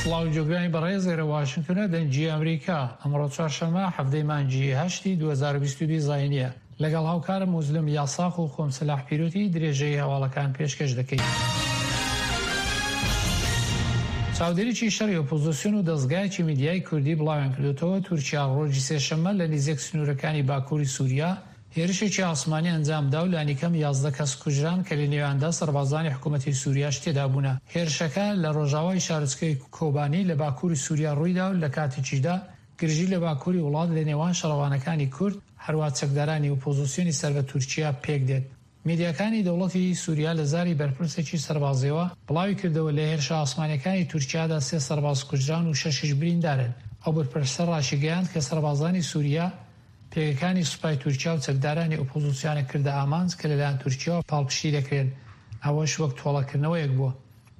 سڵاو جۆگرانی بەڕێز ئێرە واشنگتۆنە دەنگی ئەمریکا ئەمڕۆ چوارشەممە حەڤدەی مانگی هەشتی 2022 زاینیە لەگەڵ هاوکارم موزلم یاساق و خۆم سەلاح پیرۆتی درێژەی هەواڵەکان پێشکەش دەکەین. چاودێریی شەڕی ئۆپۆزسیۆن و دەزگایەکی میدیای کوردی بڵاویان کردۆتەوە، تورکیا ڕۆژی سێشەممە لە نیزیک سنوورەکانی باکووری سووریا هێرشێکی ئاسمانی ئەنجامدا و لانیکەم 11 کەس کوژران کە لە نێویاندا سەربازانی حکوومەتی سووریاش تێدا بوونە. هێرشەکە لە ڕۆژاوای شارۆچکەی کۆبانی لە باکووری سووریا ڕوویدا و لە کاتێکیشدا گرژی لە باکووری وڵات لە نێوان شەڕەوانەکانی کورد، هەروا چەکدارانی ئۆپۆزسیۆنی سەر بە تورکیا پێک دێت. میدیاکانی دەوڵەتی سوریا لە زاری بەرپرسێکی سەربازیەوە بڵاوی کردەوە لە هێرشە ئاسمانیەکانی تورکیادا سێ سەرباز کوژران و شەشیش بریندارن. ئەو بەرپرسە ڕاشیگەیاند کە سەربازانی سوریا پێگەکانی سوپای تورکیا و چەکدارانی ئۆپۆزسیۆنیان کردە ئامانج کە لەلایەن تورکیاوە پاڵپشتی دەکرێن، ئەوەش وەک تۆڵەکردنەوەیەک بووە.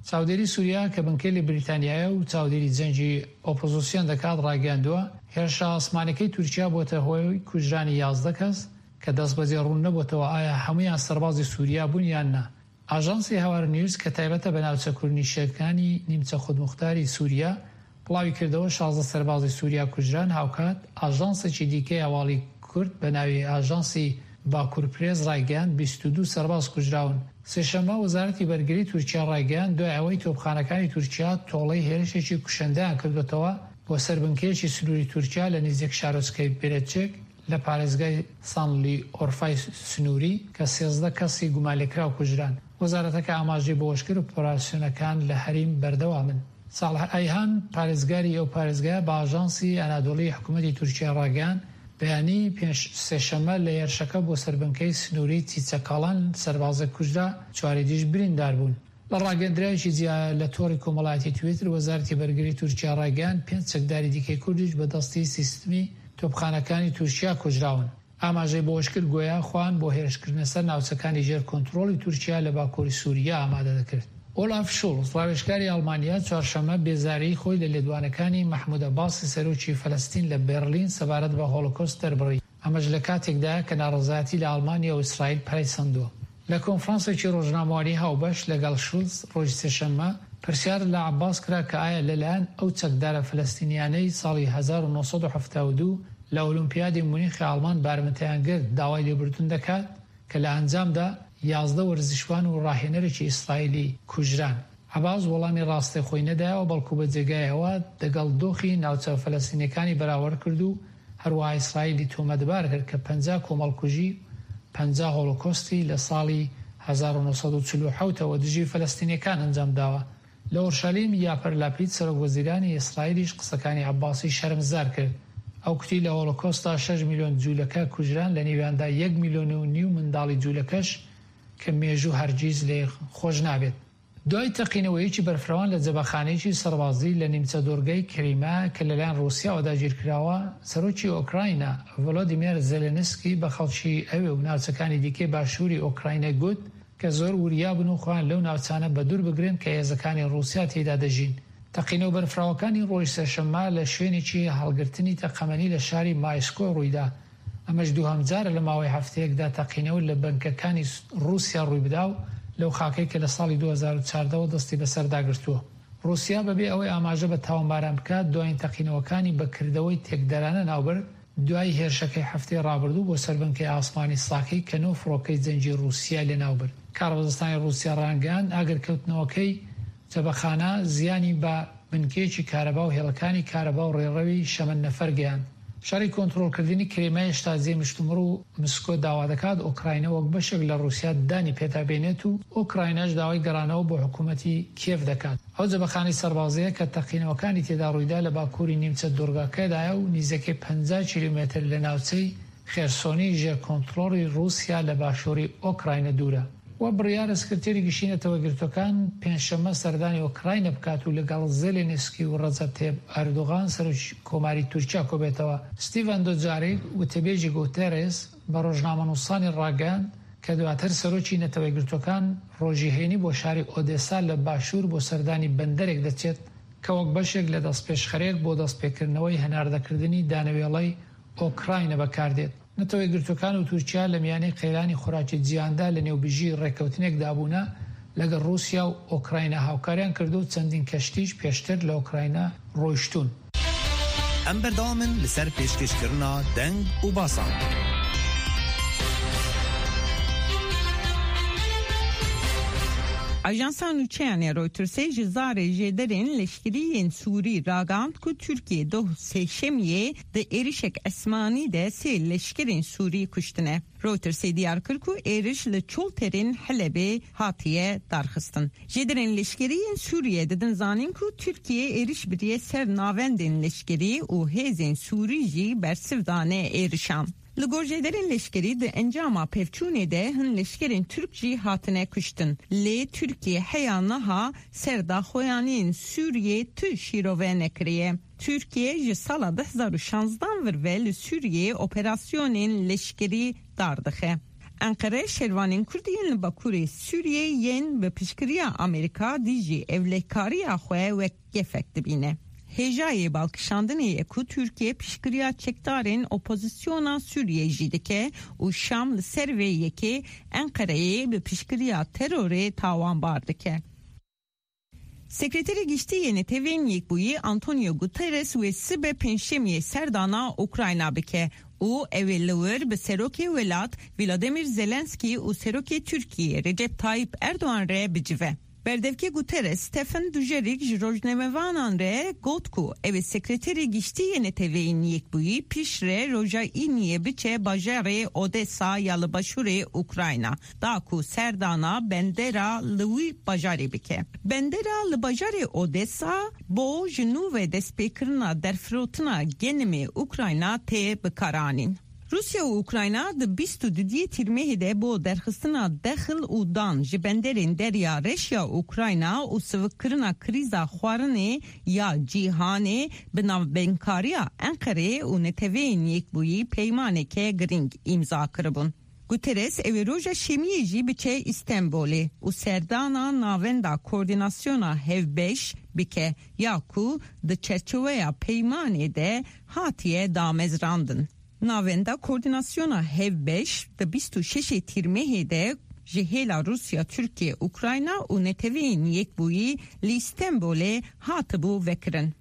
چاودێری سوریا کە بنکەی لە بریتانیایە و چاودێری جەنگی ئۆپۆزسیۆن دەکات ڕایگەیاندووە، هێرشە ئاسمانیەکەی تورکیا بووەتە هۆی کوژرانی 11 کەس کە دەستبەجێ ڕوون نەبۆتەوە ئایا هەموویان سەربازی سوریا بوون یان نا. ئاژانسی هاوار نیوز کە تایبەتە بە ناوچە کوردنیشەکانی نیمچە خودموختاری سوریا بڵاویکردەوە 16 سەربازی سوریا کوژران، هاوکات ئاژانسێکی دیکەی هەواڵی کورد بە ناوی ئاژانسی باکور پرێس ڕایگەیاند 22 سەرباز کوژراون. سێشەممە وەزارەتی بەرگری تورکیا ڕایگەیاند دوای ئەوەی تۆپخانەکانی تورکیا تۆڵەی هێرشێکی کوشندەیان کردۆتەوە بۆ سەر بنکەیەکی سنووری تورکیا لە نیزیک شارۆچکەی بێرەجک لە پارێزگای سانلی ئۆرفای سنووری کە 13 کەسی گومانلێکراو کوژران. وەزارەتەکە ئاماژەی بەوەشکرد ئۆپەراسیۆنەکان لە هەریم بەردەوامن. ساڵح ئایهان، پارێزگاری ئەو پارێزگایە بە ئاژانسی ئەنادۆڵی حکومەتی تورکیا ڕاگەیاند، بەیانی سێشەممە لە هێرشەکە بۆ سەر بنکەی سنووریی چیچەکاڵان سەربازێک کوژرا، چواری دیش بریندار بوون. لە ڕاگەندراوێکی جیا لە تۆڕی کۆمەڵایەتی تویتر، وەزارەتی بەرگری تورکیا ڕایگەیاند، پێنج چەکداری دیکەی کوردیش بە دەستی سیستمی تۆپخانەکانی تورکیا کوژراون. ئاماژەی بەوەشکرد، گۆیا خۆیان بۆ هێرشکردنە سەر ناوچەکانی ژێر کۆنترۆڵی تورکیا لە باکووری سووریا ئامادە دەکرد. ئۆلاف شوڵز، ڕاوێژکاری ئەڵمانیا چوارشەممە بێزاریی خۆی لە لێدوانەکانی مەحمود عەباسی سەرۆکی فەلەستین لە بێرلین سەبارەت بە هۆڵۆکۆست دەربڕی، ئەمەش لە کاتێکدایە کە ناڕەزایەتی لە ئەڵمانیا و ئیسرائیل پەرەی سەندووە. لە کۆنفرانسێکی ڕۆژنامەوانی هاوبەش لەگەڵ شولز ڕۆژی سێشەممە، پرسیار لە عەباس کرا کە ئایا لەلایەن ئەو چەکدارە فەلەستینیانەی ساڵی 1972 لە ئۆلیمپیادی مونیخی ئاڵمان بارمتەیان گرت داوای لێبوردن دەکات کە لە ئەنجامدا 11 وەرزشوان و ڕاهێنەرێکی ئیسرائیلی کوژران. عەباس وەڵامی ڕاستەخۆی نەدایەوە بەڵکو بە جێگای ئەوە دەگەڵ دۆخی ناوچە فەلەستینیەکانی بەراوەرد کرد و هەروەها ئیسرائیلی تۆمەتبار کرد کە 50 کۆمەڵکوژی و 50 هۆڵۆکۆستی لە ساڵی 1947 ەوە دژی فەلەستینیەکان ئەنجام داوە. لە ئۆرشەلیم یاپەر لاپید سەرۆک وەزیرانی ئیسرائیلیش قسەکانی عەباسی شەرمزار کرد. ئەو کوتی لە هۆڵۆکۆستدا شەش میلۆن جوولەکە کوژران لە نێویاندا یەک میلۆن و نیو منداڵی جوولەکەش کە مێژوو هەرگیز لێی خۆش نابێت. دوای تەقینەوەیەکی بەرفرەوان لە جەبەخانەیەکی سەربازی لە نیمچە دوڕگەی کریمە کە لەلایەن ڕووسیاوە داگیرکراوە، سەرۆکی ئۆکراینا ڤۆلۆدیمێر زێلێنسکی بە خەڵکی ئەوێ و ناوچەکانی دیکەی باشووری ئۆکراینای گوت کە زۆر وریا بن و خۆیان لەو ناوچانە بەدوور بگرن کە هێزەکانی ڕووسیا تێیدا دەژین. تەقینەوە بەرفراوەکانی ڕۆژی سێشەممە لە شوێنێکی هەڵگرتنی تەقەمەنی لە شاری مایسکۆ ڕوویدا، ئەمەش دووهەم جارە لە ماوەی هەفتەیەکدا تەقینەوە لە بنکەکانی ڕووسیا ڕوویبدا و لەو خاکەی کە لە ساڵی 2014 ەوە دەستی بەسەردا گرتووە. ڕووسیا بەبێ ئەوەی ئاماژە بە تاوانباران بکات دوایین تەقینەوەکانی بە کردەوەی تێکدەرانە ناوبرد، دوای هێرشەکەی هەفتەی ڕابردوو بۆ سەر بنکەی ئاسمانی ساکی کە نۆ فڕۆکەی جەنگی ڕووسیای لەناوبرد. کاربەدەستانی ڕووسیا ڕایانگەیاند، ئاگرکەوتنەوەکەی جەبەخانە زیانی بە بنکەیەکی کارەبا و هێڵەکانی کارەبا و ڕێڕەوی شەمەندەفەر گەیاند. شەڕی کۆنترۆڵکردنی کریمیا هێشتا جێی مشتومڕ و مسکۆ داوا دەکات ئۆکراینا وەک بەشێک لە ڕووسیا دانی پێدا بێنێت و ئۆکرایناش داوای گەڕانەوە بۆ حکوومەتی کیێڤ دەکات. ئەو جەبەخانەی سەربازییە کە تەقینەوەکانی تێدا ڕوویدا لە باکووری نیمچە دوڕگەکەدایە و نیزەکەی 50 کیلۆمەتر لە ناوچەی خێرسۆنی ژێر کۆنتڕۆڵی ڕووسیا لە باشووری ئۆکراینە دوورە. و بڕیارە سکرتێری گشتی نەتەوەیەکگرتووەکان پێنجشەممە سەردانی ئۆکراینە بکات و لەگەڵ زێلێنسکی و ڕەجەب تەیب ئەردۆغان سەرۆکی کۆماری تورکیا کۆبێتەوە. ستیڤان دۆجاریک وتەبێژی گوتێرێس بە ڕۆژنامەنووسانی ڕاگەیاند کە دواتر سەرۆکی نەتەوەیەکگرتووەکان ڕۆژی هەینی بۆ شاری ئۆدێسا لە باشوور بۆ سەردانی بەندەرێک دەچێت کە وەک بەشێک لە دەستپێشخەرێک بۆ دەستپێکردنەوەی هەناردەکردنی دانەوێڵەی ئۆکراینە بەکاردێت. نەتەوەیەکگرتووەکان و تورکیا لە میانەی قەیرانی خۆراکی جیهاندا لە نێوبژی ڕێککەوتنێکدا بوونە. لەگەڵ ڕووسیا و ئۆکراینا هاوکاریان کردووە و چەندین کەشتیش پێشتر لە ئۆکراینا ڕۆیشتوون. Em berdewam in li ser pêşkêşkirina deng û basan. Ajansa nûçeyan ya Reutersê ji zarê jêderên leşkerî yên Sûrî ragihand ku Tirkiye doh Sêşemiyê di êrişek esmanî de sê leşkerên Sûrî kuştine. Reutersê diyar kir ku êriş li çolterên Helebê hatiye darxistin. Jêderên leşkerî yên Sûriyê didin zanîn ku Tirkiye êriş biriye ser navendên leşkerî û hêzên Sûrî jî bersiv dane êrişan. Li gor jêderên leşkerî di encama pevçûnê de hin leşkerên Türk jî hatine kuştin. Lê Tirkiye heya niha ser daxuyaniyên Sûriyê tu şîrove nekiriye. Tirkiye ji sala 2016 vir ve li Sûriyê operasyonên leşkerî dar dixe. Enqere şervanên Kurd yên li Bakurê Sûriyê yên bi piştgiriya Amerîka dijî ewlekariya xwe wek gefek dibîne. Hêjayê balkişandinê ye ku Tirkiye piştgiriya çekdarên opozisyona Sûriyê jî dike û Şam li ser vê yekê Enqereyê bi piştgiriya terorê tawanbar dike. Sekreterê Giştî yê Neteweyên Yekbûyî Antonio Guterres wê sibe Pêncşemiyê serdana Ukrayna bike û ew ê li wir bi Serokê welat Vladimir Zelenskiy û Serokê Tirkiyê Recep Tayyip Erdogan re bicive. Berdevkê Guterres Stephen Dujarric ji rojnamevanan re got ku ew ê Sekreterê Giştî yê Neteweyên Yekbûyî piştre roja Îniyê biçe bajarê Odessa ya li başûrê Ukrayna da ku serdana bendera li wî bajarê bike. Bendera li bajarê Odessa bo ji nû ve destpêkirina derfirotina genimê Ukrayna tê bikaranîn. Rûsya û Ukrayna di 22 yê Tîrmehê de bo derxistina dexil û dan ji benderên Derya Reş ya Ukrayna û sivikkirina krîza xwarinê ya cîhanê bi navbeynkariya Enqereyê û Neteweyên Yekbûyî peymaneke girîng îmza kiribûn. Guterres ew ê roja Şemiyê jî biçe Îstenbolê û serdana Navenda Koordînasyona Hevbeş bike ya ku di çerçoveya peymanê de hatiye damezrandin. Navenda Koordînasyona Hevbeş di 26 ê Tîrmehê de ji hêla Rûsya, Tirkiye, Ukrayna û Neteweyên Yekbûyî li Îstenbolê hatibû vekirin.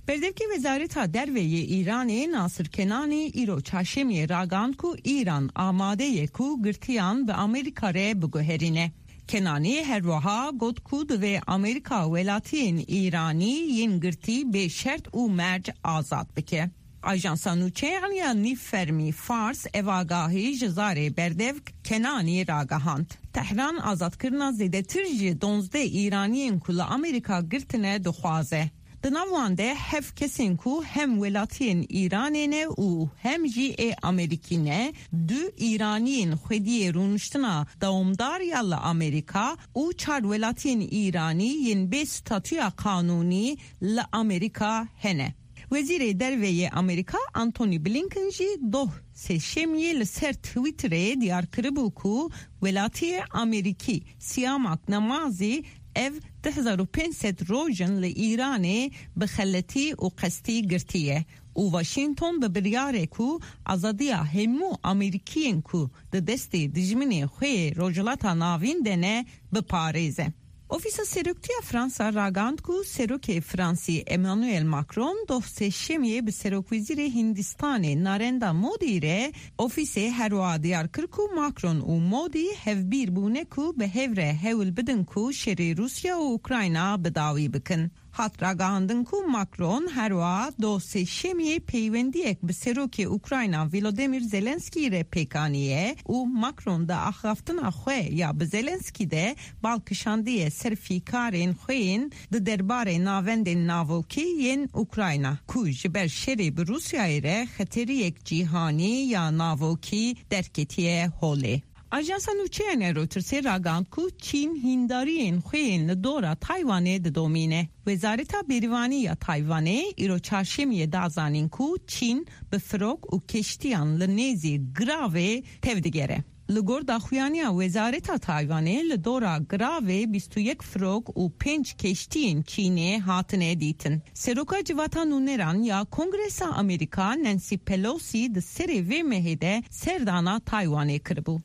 Berdevkê Wezareta Derve yê Îranê Nasir Kenanî îro Çarşemiyê ragihand ku Îran amade ye ku girtiyan bi Amerîka re biguherîne. Kenanî her wiha got ku divê Amerîka welatiyên Îranî yên girtî bê şert û merc azad bike. Ajansa nûçeyan ya nîvfermî Fars ev agahî ji zarê berdevk Kenanî ragihand. Tehran azadkirina zêdetir ji 12 Îraniyên ku li Amerîka girtine dixwaze. Di nav wan de heft kesên ku hem welatiyên Îranê ne û hem jî ê Amerîkî ne, du Îraniyên xwediyê rûniştina dewamdar ya li Amerîka û çar welatiyên Îranî yên bê statuya qanûnî li Amerîka hene. Wezîrê Derve yê Amerîka Antony Blinken jî doh Sêşemiyê li ser Twitterê diyar kiribû ku welatiyê Amerîkî Siyamak Namazî ev 2500 roj in li Îranê bi xeletî û qestî girtiye û Washington bi biryare ku azadiya hemû Amerîkiyên ku di destê dijminê xwe yê Rojhilata Navîn de ne biparêze. Ofîsa Seroktiya Fransa ragihand ku Serokê Fransî Emmanuel Macron doh Sêşemiyê bi Serokwezîrê Hindistanê Narendra Modi re ofîsê her wiha diyar kir ku Macron û Modi hevbîr bûne ku bi hev re hewl bidin ku şerê Rûsya û Ukrayna bi dawî bikin. Hat ragihandin ku Macron her wiha doh Sêşemiyê peywendiyek bi Serokê Ukrayna Volodymyr Zelenskiy re pêk aniye û Macron di axaftina xwe ya bi Zelenskiy de bal kişandiye ser fîkarên xwe yên di derbarê navendên navokî yên Ukrayna ku ji ber şerê bi Rûsyayê re xeteriyek cîhanî ya navokî derketiye holê. Ajansa nûçeyan ya Reutersê ragihand ku Çîn hîndariyên xwe yên li dora Taywanê didomîne. Wezareta Bêrîvanî ya Taywanê îro Çarşemiyê da zanîn ku Çîn bi firok û keştiyan li nêzî giravê tevdigere. Li gor daxuyaniya Wezareta Taywanê li dora giravê 21 firok û pênc keştiyên Çînê hatine dîtin. Seroka Civata Nûneran ya Kongresa Amerîka Nancy Pelosi di serê vê mehê de serdana Taywanê kiribû.